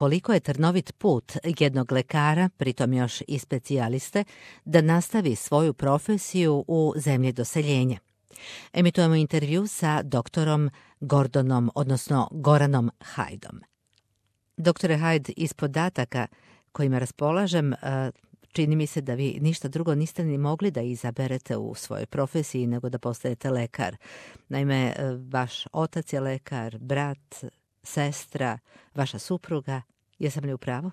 Koliko je trnovit put jednog lekara, pritom još i specijaliste, da nastavi svoju profesiju u zemlji doseljenja. Emitujemo intervju sa doktorom Goranom Hajdom. Doktore Hajd, iz podataka kojima raspolažem, čini mi se da vi ništa drugo niste ni mogli da izaberete u svojoj profesiji nego da postajete lekar. Naime, vaš otac je lekar, brat, sestra, vaša supruga. Jesam li u pravu?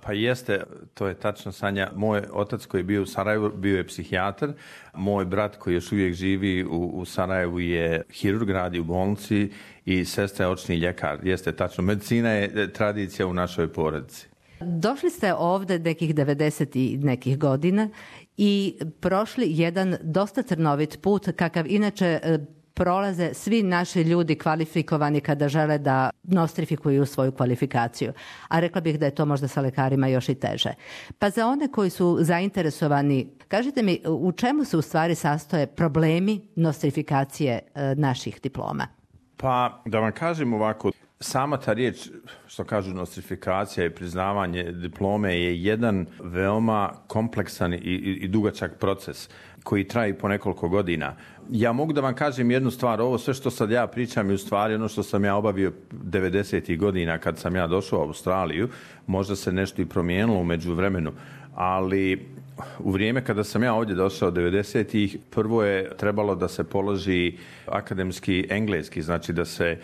Pa jeste, to je tačno, Sanja. Moj otac koji je bio u Sarajevu bio je psihijatar. Moj brat koji još uvijek živi u Sarajevu je hirurg, radi u bolnici i sestra je očni ljekar. Jeste, tačno. Medicina je tradicija u našoj porodici. Došli ste ovdje nekih 90 i nekih godina i prošli jedan dosta trnovit put, kakav inače prolaze svi naši ljudi kvalifikovani kada žele da nostrifikuju svoju kvalifikaciju. A rekla bih da je to možda sa lekarima još i teže. Pa za one koji su zainteresovani, kažite mi u čemu se u stvari sastoje problemi nostrifikacije naših diploma? Pa da vam kažem ovako, sama ta riječ, što kažu nostrifikacija i priznavanje diplome je jedan veoma kompleksan i dugačak proces koji traje po nekoliko godina. Ja mogu da vam kažem jednu stvar, ovo sve što sad ja pričam je u stvari ono što sam ja obavio 90. godina kad sam ja došao u Australiju, možda se nešto i promijenilo u međuvremenu, ali u vrijeme kada sam ja ovdje došao 90-ih, prvo je trebalo da se položi akademski engleski, znači da se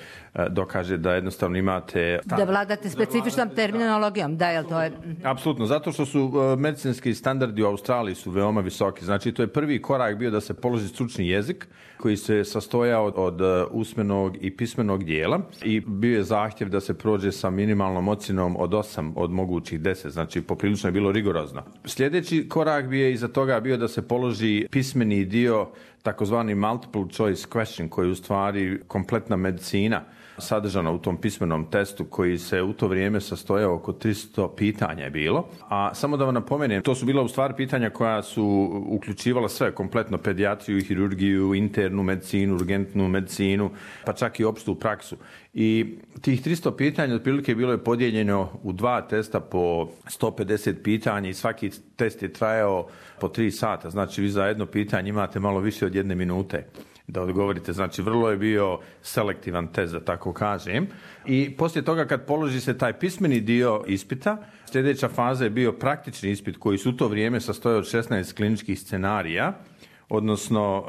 dokaže da jednostavno imate... Da vladate specifičnom terminologijom, da, jel to je... Apsolutno, zato što su medicinski standardi u Australiji su veoma visoki. Znači, to je prvi korak bio da se položi stručni jezik koji se sastojao od usmenog i pismenog dijela i bio je zahtjev da se prođe sa minimalnom ocjenom od 8 od mogućih 10, znači poprilično je bilo rigorozno. Sljedeći korak bi je iza toga bio da se položi pismeni dio, takozvani multiple choice question, koji je u stvari kompletna medicina sadržana u tom pismenom testu koji se u to vrijeme sastojao oko 300 pitanja je bilo. A samo da vam napomenem, to su bila u stvari pitanja koja su uključivala sve, kompletno pedijatriju, hirurgiju, internu medicinu, urgentnu medicinu, pa čak i opštu praksu. I tih 300 pitanja otprilike bilo je podijeljeno u 2 testa po 150 pitanja i svaki test je trajao po 3 sata. Znači vi za jedno pitanje imate malo više od 1 minute da odgovorite. Znači vrlo je bio selektivan test, da tako kažem. I poslije toga kad položi se taj pismeni dio ispita, sljedeća faza je bio praktični ispit koji su u to vrijeme sastojao od 16 kliničkih scenarija. Odnosno...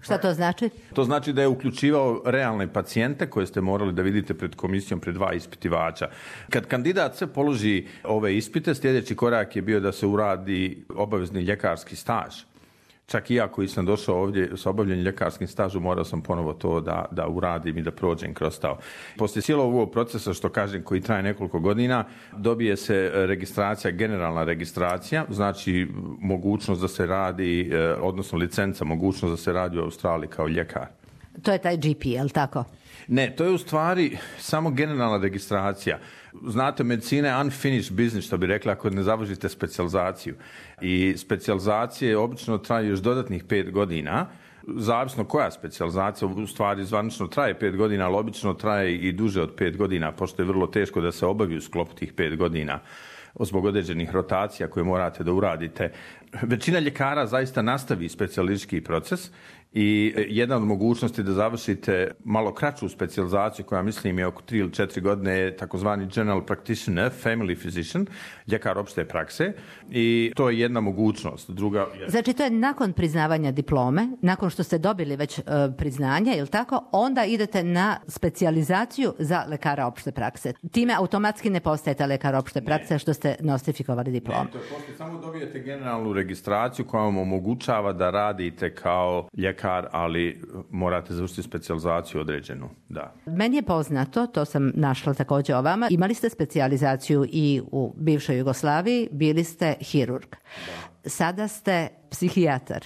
Šta to znači? To znači da je uključivao realne pacijente koje ste morali da vidite pred komisijom, pred 2 ispitivača. Kad kandidat se položi ove ispite, sljedeći korak je bio da se uradi obavezni ljekarski staž. Čak i ja koji sam došao ovdje s obavljenim ljekarskim stažom, morao sam ponovo to da uradim i da prođem kroz to. Poslije cijelog ovog procesa, što kažem, koji traje nekoliko godina, dobije se registracija, generalna registracija, znači mogućnost da se radi, odnosno licenca, mogućnost da se radi u Australiji kao ljekar. To je taj GP, je li tako? Ne, to je u stvari samo generalna registracija. Znate, medicina je unfinished business, što bi rekla, ako ne završite specijalizaciju. I specijalizacije obično traju još dodatnih 5 godina. Zavisno koja specijalizacija, u stvari zvanično traje 5 godina, ali obično traje i duže od 5 godina, pošto je vrlo teško da se obavi u sklopu tih 5 godina zbog određenih rotacija koje morate da uradite. Većina ljekara zaista nastavi specijalistički proces i jedna od mogućnosti da završite malo kraću specijalizaciju, koja mislim je oko 3 ili 4 godine, je takozvani general practitioner, family physician, ljekar opšte prakse, i to je jedna mogućnost. Druga je... Znači to je nakon priznavanja diplome, nakon što ste dobili već priznanje, je li tako, onda idete na specijalizaciju za lekara opšte prakse. Time automatski ne postajete lekar opšte prakse što ste nostrifikovali diplom. Ne, to je poslije, samo dobijete generalnu registraciju koja vam omogućava da radite kao ljekar, ali morate završiti specijalizaciju određenu. Da. Meni je poznato, to sam našla također o vama, imali ste specijalizaciju i u bivšoj Jugoslaviji, bili ste hirurg. Da. Sada ste psihijatar.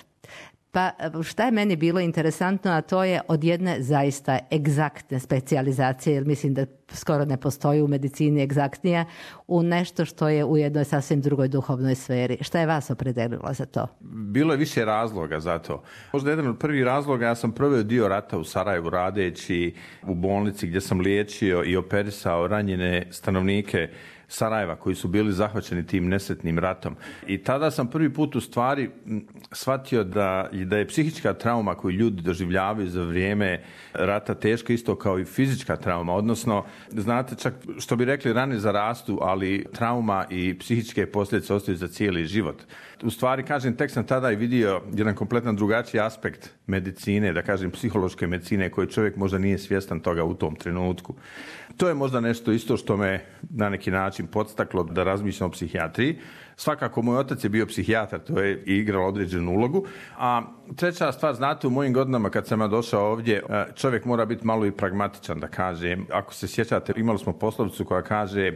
Pa šta je meni bilo interesantno, a to je od jedne zaista egzaktne specijalizacije, jer mislim da skoro ne postoji u medicini egzaktnija, u nešto što je u jednoj sasvim drugoj duhovnoj sferi. Šta je vas opredelilo za to? Bilo je više razloga za to. Možda jedan od prvih razloga, ja sam proveo dio rata u Sarajevu radeći u bolnici gdje sam liječio i operisao ranjene stanovnike Sarajeva koji su bili zahvaćeni tim nesretnim ratom. I tada sam prvi put u stvari shvatio da je psihička trauma koju ljudi doživljavaju za vrijeme rata teška isto kao i fizička trauma. Odnosno, znate, čak što bi rekli rane zarastu, ali trauma i psihičke posljedice ostaju za cijeli život. U stvari, kažem, tek sam tada i vidio jedan kompletno drugačiji aspekt medicine, da kažem psihološke medicine, koji čovjek možda nije svjestan toga u tom trenutku. To je možda nešto isto što me na neki način podstaklo da razmišljam o psihijatriji. Svakako, moj otac je bio psihijatar, to je igralo određenu ulogu. A treća stvar, znate, u mojim godinama kad sam ja došao ovdje, čovjek mora biti malo i pragmatičan, da kažem. Ako se sjećate, imali smo poslovicu koja kaže: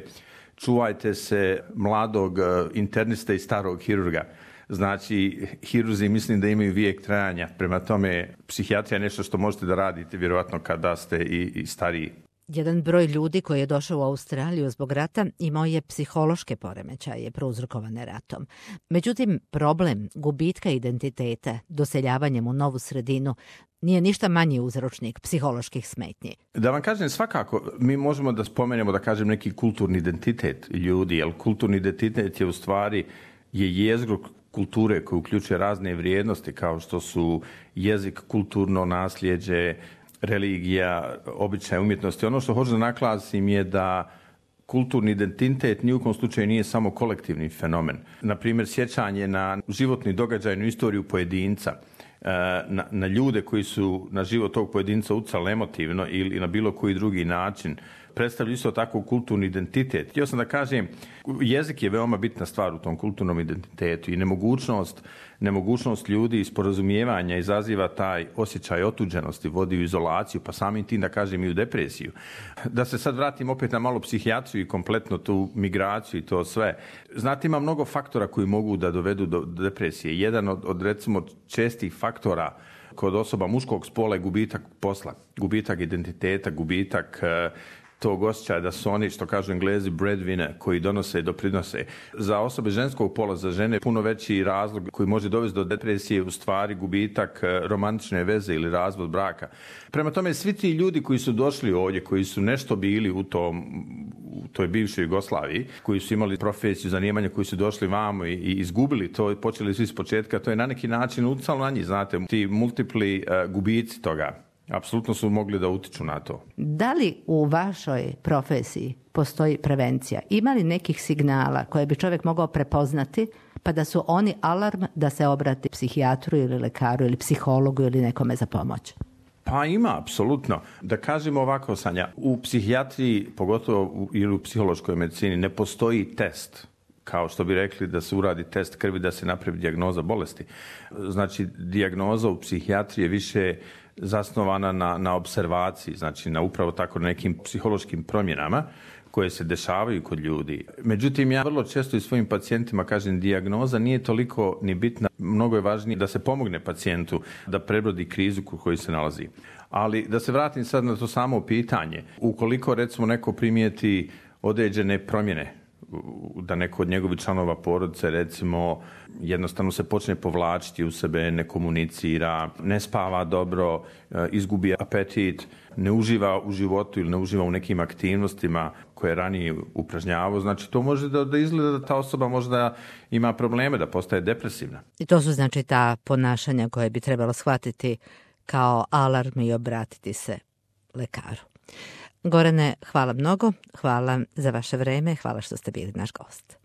čuvajte se mladog interniste i starog hirurga. Znači, hirurzi mislim da imaju vijek trajanja. Prema tome, psihijatrija je nešto što možete da radite vjerojatno kada ste i stariji. Jedan broj ljudi koji je došao u Australiju zbog rata imao je psihološke poremećaje prouzrokovane ratom. Međutim, problem gubitka identiteta doseljavanjem u novu sredinu nije ništa manji uzročnik psiholoških smetnji. Da vam kažem, svakako, mi možemo da spomenemo, da kažem, neki kulturni identitet ljudi, jer kulturni identitet je u stvari jezgro kulture koji uključuje razne vrijednosti kao što su jezik, kulturno nasljeđe, religija, običaj, umjetnosti. Ono što hoću da naglasim je da kulturni identitet ni u kom slučaju nije samo kolektivni fenomen. Naprimjer, sjećanje na životni događaj, na istoriju pojedinca, na ljude koji su na život tog pojedinca utjecali emotivno ili na bilo koji drugi način, predstavlja isto tako kulturni identitet. Htio sam da kažem, jezik je veoma bitna stvar u tom kulturnom identitetu i nemogućnost ljudi sporazumijevanja izaziva taj osjećaj otuđenosti, vodi u izolaciju, pa samim tim da kažem i u depresiju. Da se sad vratim opet na malo psihijatriju i kompletno tu migraciju i to sve. Znate, ima mnogo faktora koji mogu da dovedu do depresije. Jedan od recimo čestih faktora kod osoba muškog spola je gubitak posla, gubitak identiteta, gubitak tog osjećaja da su oni, što kažu Englezi, breadwinner, koji donose i doprinose. Za osobe ženskog pola, za žene, puno veći razlog koji može dovesti do depresije u stvari gubitak romantične veze ili razvod braka. Prema tome, svi ti ljudi koji su došli ovdje, koji su nešto bili u toj bivšoj Jugoslaviji, koji su imali profesiju, zanimanje, koji su došli vamo i izgubili to, počeli svi s početka, to je na neki način utjecalo na njih, znate, ti multipli gubici toga. Apsolutno su mogli da utiču na to. Da li u vašoj profesiji postoji prevencija? Ima li nekih signala koje bi čovjek mogao prepoznati pa da su oni alarm da se obrati psihijatru ili lekaru ili psihologu ili nekome za pomoć? Pa ima, apsolutno. Da kažemo ovako, Sanja, u psihijatriji, pogotovo ili u psihološkoj medicini, ne postoji test, kao što bi rekli da se uradi test krvi da se napravi dijagnoza bolesti. Znači, dijagnoza u psihijatriji je više zasnovana na observaciji, znači na upravo tako nekim psihološkim promjenama koje se dešavaju kod ljudi. Međutim, ja vrlo često i svojim pacijentima kažem, dijagnoza nije toliko ni bitna, mnogo je važnije da se pomogne pacijentu da prebrodi krizu u kojoj se nalazi. Ali da se vratim sad na to samo pitanje, ukoliko recimo neko primijeti određene promjene, da neko od njegovih članova porodice recimo jednostavno se počne povlačiti u sebe, ne komunicira, ne spava dobro, izgubi apetit, ne uživa u životu ili ne uživa u nekim aktivnostima koje je ranije upražnjavao, znači to može da izgleda da ta osoba možda ima probleme, da postaje depresivna. I to su znači ta ponašanja koje bi trebalo shvatiti kao alarm i obratiti se lekaru. Gorane, hvala mnogo, hvala za vaše vreme, hvala što ste bili naš gost.